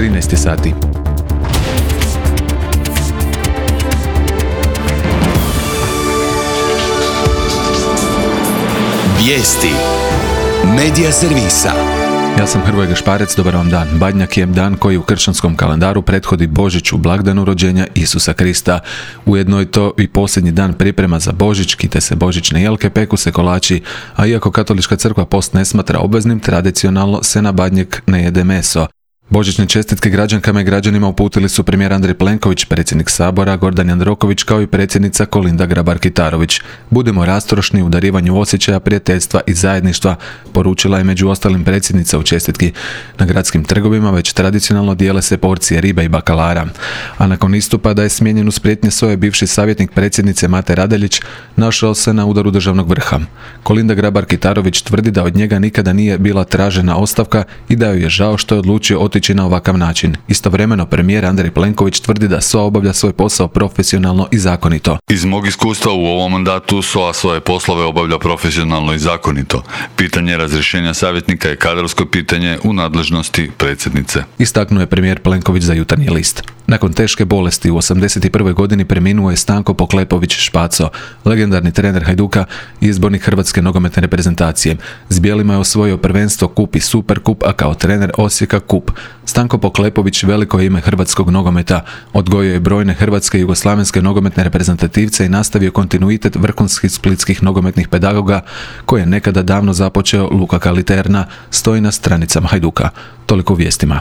13 sati. Vijesti Medija servisa. Ja sam Hrvoje Gašparec, dobar vam dan. Badnjak je dan koji u kršćanskom kalendaru prethodi Božiću, blagdanu rođenja Isusa Krista. Ujedno je to i posljednji dan priprema za Božić, kite se božićne jelke, peku se kolači, a iako katolička crkva post ne smatra obveznim, tradicionalno se na Badnjak ne jede meso. Božićne čestitke građankama i građanima uputili su premijer Andrej Plenković, predsjednik Sabora Gordan Jandroković kao i predsjednica Kolinda Grabar-Kitarović. Budemo rastrošni u darivanju osjećaja, prijateljstva i zajedništva, poručila je među ostalim predsjednica u čestitki. Na gradskim trgovima već tradicionalno dijele se porcije ribe i bakalara. A nakon istupa da je smijenjen uz prijetnje SOA-e bivši savjetnik predsjednice Mate Radeljić našao se na udaru državnog vrha. Kolinda Grabar-Kitarović tvrdi da od njega nikada nije bila tražena ostavka i da joj je žao što je odlučio otići na ovakav način. Istovremeno premijer Andrej Plenković tvrdi da SOA obavlja svoj posao profesionalno i zakonito. Iz mog iskustva u ovom mandatu SOA svoje poslove obavlja profesionalno i zakonito. Pitanje razrješenja savjetnika je kadrovsko pitanje u nadležnosti predsjednice. Istaknuo je premijer Plenković za Jutarnji list. Nakon teške bolesti u 81. godini preminuo je Stanko Poklepović-Špaco, legendarni trener Hajduka i izbornik hrvatske nogometne reprezentacije. S bijelima je osvojio prvenstvo, kup i Superkup, a kao trener Osijeka kup. Stanko Poklepović veliko je ime hrvatskog nogometa, odgojio je brojne hrvatske i jugoslavenske nogometne reprezentativce i nastavio kontinuitet vrhunskih splitskih nogometnih pedagoga koje je nekada davno započeo Luka Kaliterna, stoji na stranicama Hajduka. Toliko u vijestima.